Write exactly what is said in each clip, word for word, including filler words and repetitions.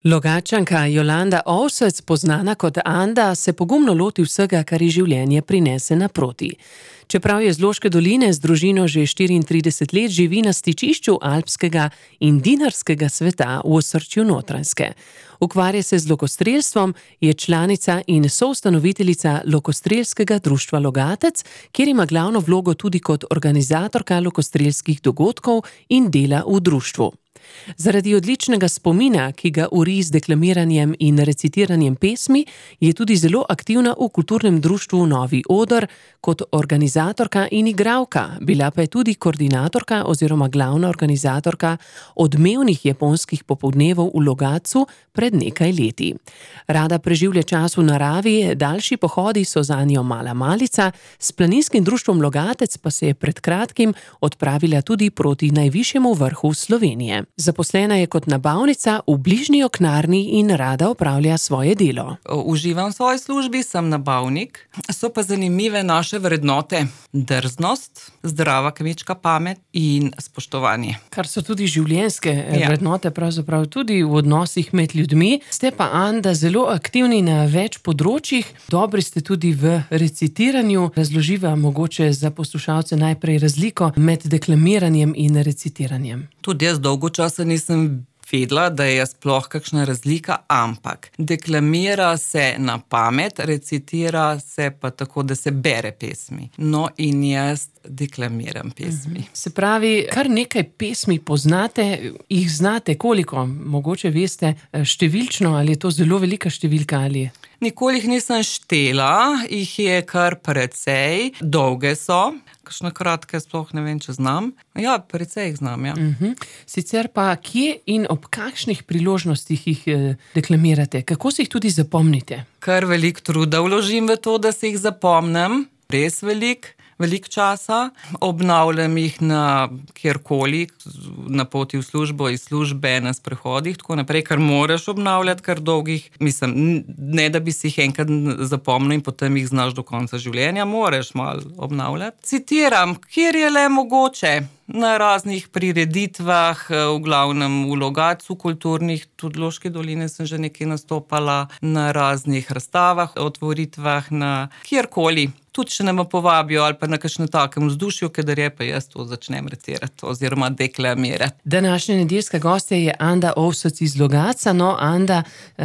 Logatčanka Jolanda Ovsec, poznana kot Anda, se pogumno loti vsega, kar ji življenje prinese naproti. Čeprav je z Loške doline z družino že štiriintrideset let, živi na stičišču alpskega in dinarskega sveta v osrčju Notranjske. Ukvarja se z lokostrelstvom, je članica in soustanoviteljica Lokostrelskega društva Logatec, kjer ima glavno vlogo tudi kot organizatorka lokostrelskih dogodkov in dela v društvu. Zaradi odličnega spomina, ki ga uri z deklamiranjem in recitiranjem pesmi, je tudi zelo aktivna v kulturnem društvu Novi Oder kot organizatorka in igralka, bila pa je tudi koordinatorka oziroma glavna organizatorka odmevnih japonskih popoldnevov v Logatcu pred nekaj leti. Rada preživlja čas v naravi, daljši pohodi so zanjo mala malica, s planinskim društvom Logatec pa se je pred kratkim odpravila tudi proti najvišjemu vrhu Slovenije. Zaposlena je kot nabavnica v bližnji Oknarni in rada opravlja svoje delo. Uživam v svoji službi, sem nabavnik, so pa zanimive naše vrednote: drznost, zdrava kmečka pamet in spoštovanje. Kar so tudi življenjske ja. vrednote, pravzaprav tudi v odnosih med ljudmi. Ste pa, Anda, zelo aktivni na več področjih, dobri ste tudi v recitiranju. Razloživa mogoče za poslušalce najprej razliko med deklamiranjem in recitiranjem. Tudi jaz dolgo časa nisem vedela, da je sploh kakšna razlika, ampak deklamira se na pamet, recitira se pa tako, da se bere pesmi. No, in jaz deklamiram pesmi. Se pravi, kar nekaj pesmi poznate, jih znate koliko? Mogoče veste številčno, ali je to zelo velika številka ali... Nikoli jih nisem štela, jih je kar precej, dolge so, kakšne kratke sploh ne vem, če znam. Ja, precej jih znam, ja. Uh-huh. Sicer pa, kje in ob kakšnih priložnostih jih deklamirate? Kako si jih tudi zapomnite? Kar veliko truda vložim v to, da si jih zapomnim, res veliko. Veliko časa, obnavljam jih na kjerkoli, na poti v službo, iz službe, na sprehodih, tako naprej, kar moraš obnavljati, kar dolgih, mislim, ne da bi si jih enkrat zapomnil in potem jih znaš do konca življenja, moraš malo obnavljati. Citiram, kjer je le mogoče, na raznih prireditvah, v glavnem v Logatcu kulturnih, tudi v Loški doline sem že nekaj nastopala, na raznih razstavah, otvoritvah, na kjerkoli. Tudi, če me povabijo ali pa na kakšnem takem vzdušju, kadar je, pa jaz to začnem recitirati oziroma deklamirati. Današnja nedeljska gostja je Anda Ovsec iz Logatca. No, Anda,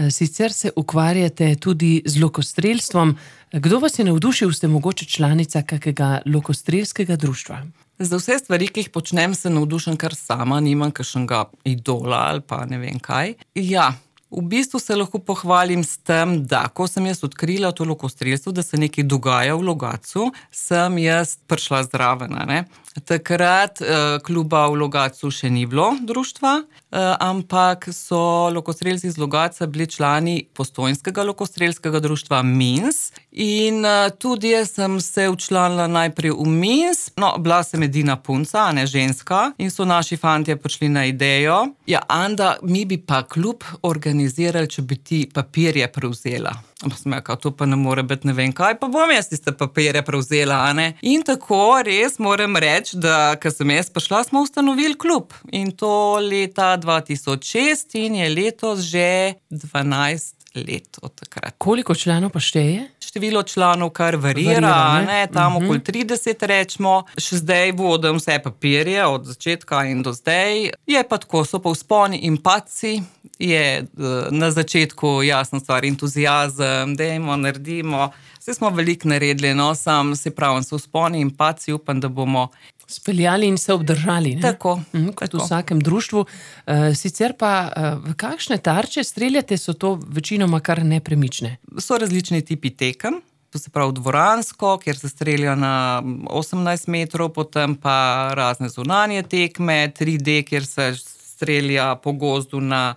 sicer se ukvarjate tudi z lokostrelstvom. Kdo vas je navdušil, ste mogoče članica kakega lokostrelskega društva? Za vse stvari, ki jih počnem, se navdušen kar sama, nimam kakšnega idola ali pa ne vem kaj. Ja, v bistvu se lahko pohvalim s tem, da ko sem jaz odkrila to lokostrelstvo, da se nekaj dogaja v Logatcu, sem jaz prišla zraven, ne. Takrat eh, kluba v Logatcu še ni bilo društva, eh, ampak so lokostrelci iz Logatca bili člani Postojnskega lokostrelskega društva Mins in eh, tudi jaz sem se včlanila najprej v Mins, no, bila sem edina punca, a ne ženska, in so naši fantje prišli na idejo, ja, Anda, mi bi pa klub organizirali, če bi ti papirje prevzela. Pa sem rekla, to pa ne more biti ne vem kaj, pa bom jaz tiste papirje prevzela, a ne. In tako res moram reči, da ko sem jaz prišla, smo ustanovili klub. In to leta dva tisoč šest in je letos že dvanajst let od takrat. Koliko članov pa šteje? Število članov kar varira, varira ne? Ne, tam uh-huh. okoli trideset rečemo. Še zdaj vodim vse papirje od začetka in do zdaj. Je pa tako, so pa vzponi in padci. Je na začetku jasna stvar, entuzijazem, dajmo, naredimo. Vse smo veliko naredili, no, sam se pravim, so vzponi in padci, upam, da bomo speljali in se obdržali, ne? Tako. Mhm, kot tako. V vsakem društvu. Uh, sicer pa, uh, kakšne tarče streljate, so to večinoma kar nepremične? So različni tipi tekem. To se pravi dvoransko, kjer se strelja na osemnajst metrov, potem pa razne zunanje tekme, tri D, kjer se strelja po gozdu na,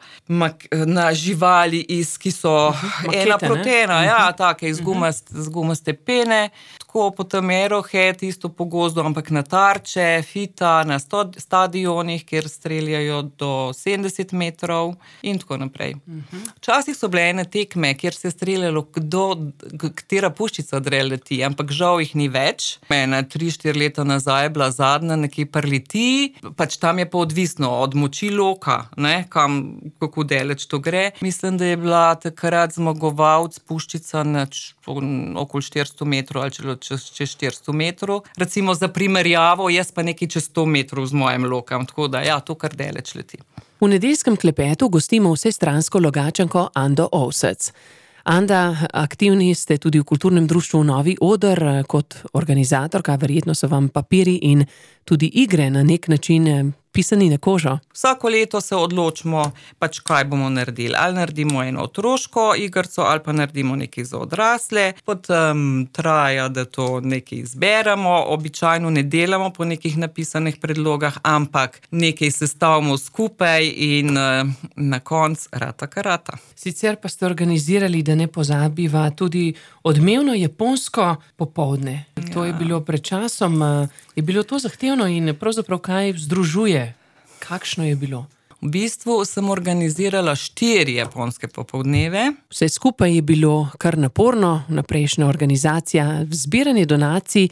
na živali, iz, ki so Makete, ena protena, ne? Ja, take iz gumast, z gumaste pene. Tako potem Arrowhead, isto po gozdu, ampak na tarče, fita, na sto, stadionih, kjer streljajo do sedemdeset metrov in tako naprej. Včasih so bile ene tekme, kjer se je streljalo, kdo, katera puščica dre leti, ampak žal jih ni več. Ena tri štiri leta nazaj je bila zadnja nekaj prleti, pač tam je pa odvisno od moči oči loka, ne, kam, kako daleč to gre. Mislim, da je bila takrat zmagovalec Puščica na okoli štiristo metrov ali čelo čez, čez štiristo metrov. Recimo za primerjavo, jaz pa nekaj čez sto metrov z mojim lokom, tako da ja, to kar daleč leti. V nedeljskem klepetu gostimo vsestransko Logatčanko Ando Ovsec. Anda, aktivni ste tudi v kulturnem društvu Novi Oder kot organizatorka, verjetno so vam papiri in tudi igre na nek način pisani na kožo. Vsako leto se odločimo, pač kaj bomo naredili. Ali naredimo eno otroško igrico, ali pa naredimo nekaj za odrasle. Potem traja, da to nekaj izberemo. Običajno ne delamo po nekih napisanih predlogah, ampak nekaj sestavimo skupaj in na koncu rata karata. Sicer pa ste organizirali, da ne pozabiva, tudi odmevno japonsko popoldne. Ja. To je bilo pred časom. Je bilo to zahtevno in pravzaprav kaj združuje? Kakšno je bilo? V bistvu sem organizirala štiri japonske popoldneve. Vse skupaj je bilo kar naporno, naprejšnja organizacija, zbiranje donacij,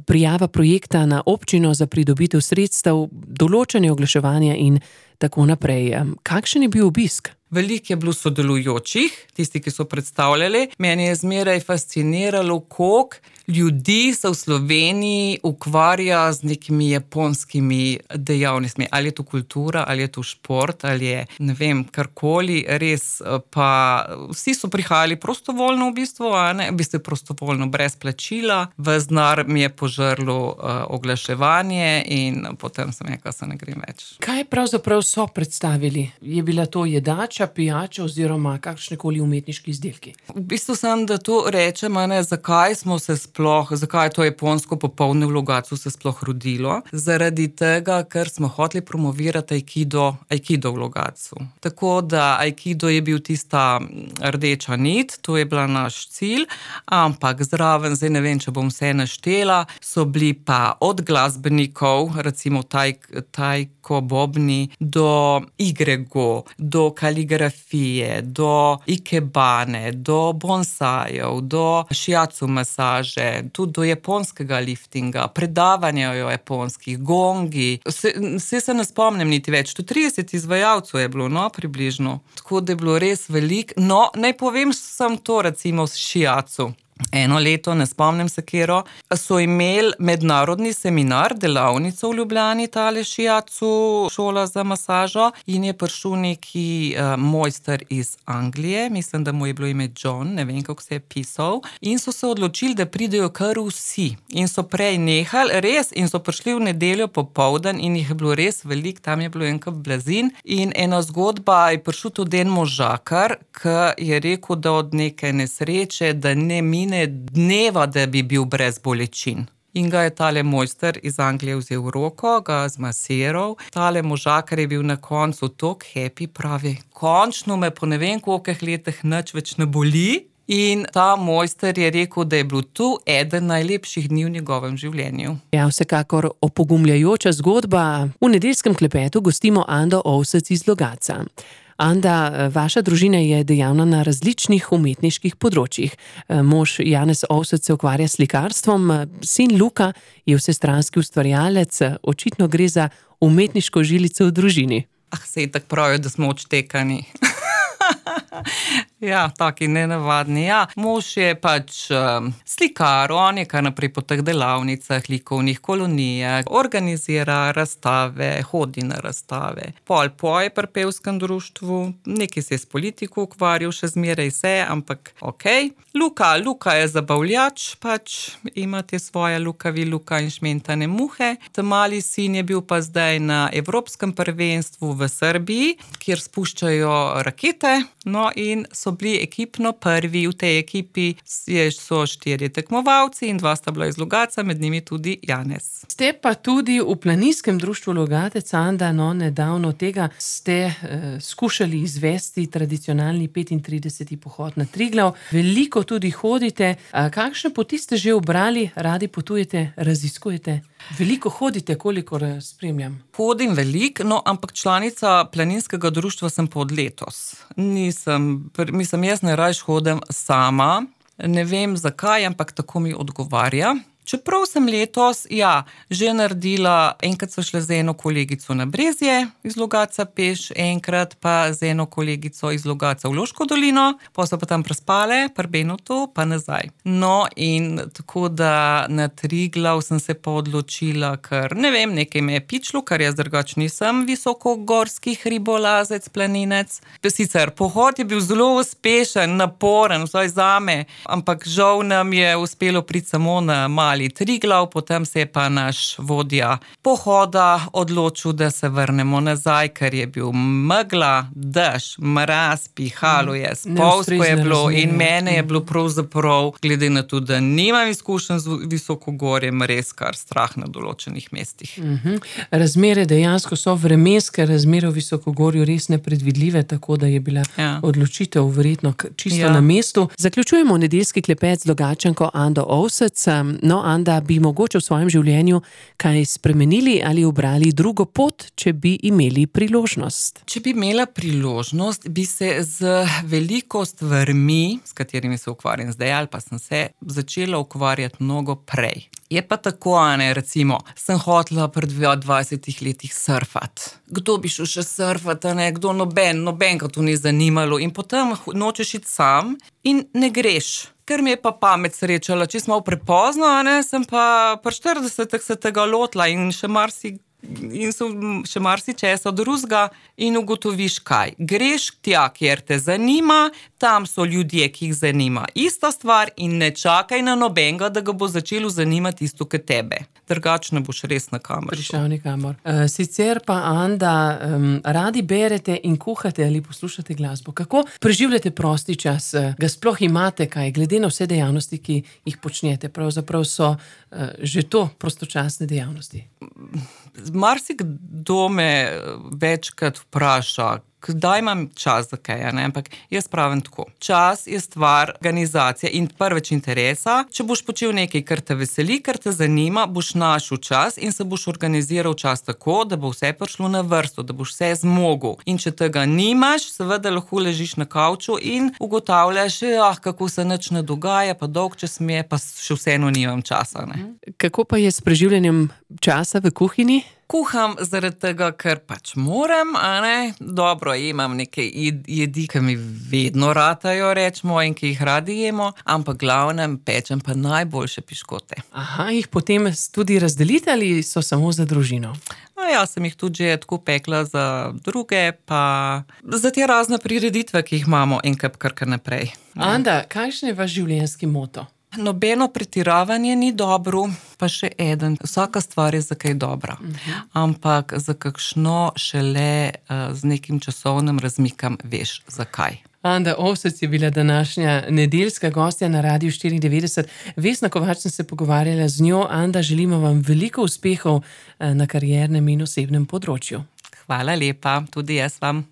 prijava projekta na občino za pridobitev sredstev, določanje oglaševanja in tako naprej. Kakšen je bil obisk? Veliko je bilo sodelujočih, tisti, ki so predstavljali. Meni je zmeraj fasciniralo, koliko ljudi se v Sloveniji ukvarja z nekimi japonskimi dejavnostmi. Ali je to kultura, ali je to šport, ali je, ne vem, karkoli. Res pa vsi so prihajali prostovoljno v bistvu, a ne, v bistvu prostovoljno, brez plačila. Ves denar mi je požrlo uh, oglaševanje in potem sem rekla, se ne grem več. Kaj pravzaprav so predstavili? Je bila to jedača, pijača oziroma kakšnekoli umetniški izdelki? V bistvu sem, da to rečem, ne, zakaj smo se sploh, zakaj je to japonsko popoldne v Logatcu se sploh rodilo. Zaradi tega, ker smo hoteli promovirati aikido, aikido v Logatcu. Tako da aikido je bil tista rdeča nit, to je bila naš cilj, ampak zraven, zdaj ne vem, če bom vse naštela, so bili pa od glasbenikov, recimo taj, tajko bobni, do igre go, do kaligrafije, do ikebane, do bonsajev, do šiacu masaže, tudi do japonskega liftinga, predavanja o japonskih, gongi. Se, se se ne spomnim niti več, to trideset izvajalcev je bilo, no, približno. Tako da je bilo res veliko. No, naj povem sem to recimo s šiacu. Eno leto, ne spomnim se kero, so imeli mednarodni seminar, delavnico v Ljubljani, tale šiacu, šola za masažo, in je prišel neki uh, mojster iz Anglije, mislim, da mu je bilo ime John, ne vem, kako se je pisal, in so se odločili, da pridejo kar vsi. In so prej nehali, res, in so prišli v nedeljo popoldan in jih je bilo res veliko, tam je bilo enkrat blazin. In ena zgodba, je prišel tudi en možakar, ki je rekel, da od neke nesreče, da ne mine dneva, da bi bil brez bolečin. In ga je tale mojster iz Anglije vzel v roko, ga zmasiral. Tale možakar je bil na koncu tok happy, pravi, končno me po ne vem kolikih letih nič več ne boli. In ta mojster je rekel, da je bil tu eden najlepših dni v njegovem življenju. Ja, vsekakor opogumljajoča zgodba. V nedeljskem klepetu gostimo Ando Ovsec iz Logatca. Anda, vaša družina je dejavna na različnih umetniških področjih. Mož Janez Ovsec se ukvarja s slikarstvom, sin Luka je vsestranski ustvarjalec, očitno gre za umetniško žilico v družini. Ah, sej tako pravijo, da smo odštekani. Ja, taki nenavadni. Ja, mož je pač um, slikar, on je kar naprej po teh delavnicah, likovnih kolonijah, organizira razstave, hodi na razstave. Pol poje pri pevskem društvu, nekaj se je s politiko ukvarjal, še zmeraj se, ampak okej. Okay. Luka, Luka je zabavljač, pač ima te svoje lukavi Luka in šmentane muhe. Ta mali sin je bil pa zdaj na Evropskem prvenstvu v Srbiji, kjer spuščajo rakete, no in so bili ekipno prvi. V tej ekipi so štirje tekmovalci in dva sta bila iz Logatca, med njimi tudi Janez. Ste pa tudi v planinskem društvu Logatec, Anda, no, nedavno tega ste eh, skušali izvesti tradicionalni petintrideseti pohod na Triglav. Veliko tudi hodite. A kakšne poti ste že ubrali? Radi potujete, raziskujete? Veliko hodite, kolikor spremljam. Hodim veliko, no, ampak članica planinskega društva sem pa od letos. Nisem, mislim, jaz ne rajš hodim sama. Ne vem zakaj, ampak tako mi odgovarja. Čeprav sem letos, ja, že naredila, enkrat so šle z eno kolegico na Brezje iz Logatca peš, enkrat pa z eno kolegico iz Logatca v Loško dolino, pa so pa tam prespale, pri Benotu, pa nazaj. No, in tako da na Triglav sem se pa odločila, ker ne vem, nekaj me je pičilo, ker jaz drugač nisem visokogorski hribolazec, planinec. Sicer pohod je bil zelo uspešen, naporen, vsaj zame, ampak žal nam je uspelo priti samo na Mali Triglav, potem se je pa naš vodja pohoda odločil, da se vrnemo nazaj, ker je bil megla, dež, mraz, pihalo je, spolsko je bilo in mene je bilo pravzaprav, glede na to, da nimam izkušenj z visokogorjem, res kar strah na določenih mestih. Mhm. Razmere dejansko so vremenske razmere v visokogorju res nepredvidljive, tako da je bila ja. odločitev verjetno čisto ja. na mestu. Zaključujemo nedeljski klepet z Logatčanko Ando Ovsec. No, Anda, bi mogoče v svojem življenju kaj spremenili ali ubrali drugo pot, če bi imeli priložnost? Če bi imela priložnost, bi se z veliko stvarmi, s katerimi se ukvarjam zdaj, ali pa sem se začela ukvarjati mnogo prej. Je pa tako, ne, recimo, sem hotela pri dvajsetih letih surfati. Kdo bi šel še surfati, ne, kdo noben, noben, ga to ni zanimalo in potem nočeš iti sam in ne greš. Ker mi je pa pamet srečala, če smo prepozno, ne, sem pa pri štiridesetih se tega lotila in še marsi in so še marsi česa drugega in ugotoviš kaj. Greš tja, kjer te zanima, tam so ljudje, ki jih zanima ista stvar in ne čakaj na nobenega, da ga bo začelo zanimati isto kot tebe. Drugače ne boš res na kamor prišel nikamor. Uh, sicer pa, Anda, um, radi berete in kuhate ali poslušate glasbo. Kako preživljate prosti čas? Ga sploh imate kaj, glede na vse dejavnosti, ki jih počnete? Pravzaprav so uh, že to prostočasne dejavnosti. Marsikdo me večkrat vpraša, kdaj imam čas za kaj, ne? Ampak jaz pravim tako. Čas je stvar organizacije in prveč interesa. Če boš počel nekaj, kar te veseli, kar te zanima, boš našel čas in se boš organiziral čas tako, da bo vse prišlo na vrsto, da boš vse zmogel. In če tega nimaš, seveda lahko ležiš na kavču in ugotavljaš, ah, kako se nič ne dogaja, pa dolg čas mi je, pa še vseeno nimam časa. Ne? Kako pa je s preživljanjem časa v kuhinji? Kuham zaradi tega, ker pač moram, a ne, dobro, imam neke jedi, ki mi vedno ratajo, rečemo, in ki jih radi jemo, ampak glavnem pečem pa najboljše piškote. Aha, jih potem tudi razdelite ali so samo za družino? No, ja, sem jih tudi že tako pekla za druge, pa za te razne prireditve, ki jih imamo in kar kar naprej. Anda, kakšen je vaš življenjski moto? Nobeno pretiravanje ni dobro, pa še eden. Vsaka stvar je za kaj dobra. Uh-huh. Ampak za kakšno šele uh, z nekim časovnim razmikom veš, zakaj. Anda Ovsec je bila današnja nedeljska gostja na Radiu štiriindevetdeset. Vesna Kovač sem se pogovarjala z njo. Anda, želimo vam veliko uspehov na kariernem in osebnem področju. Hvala lepa, tudi jaz vam.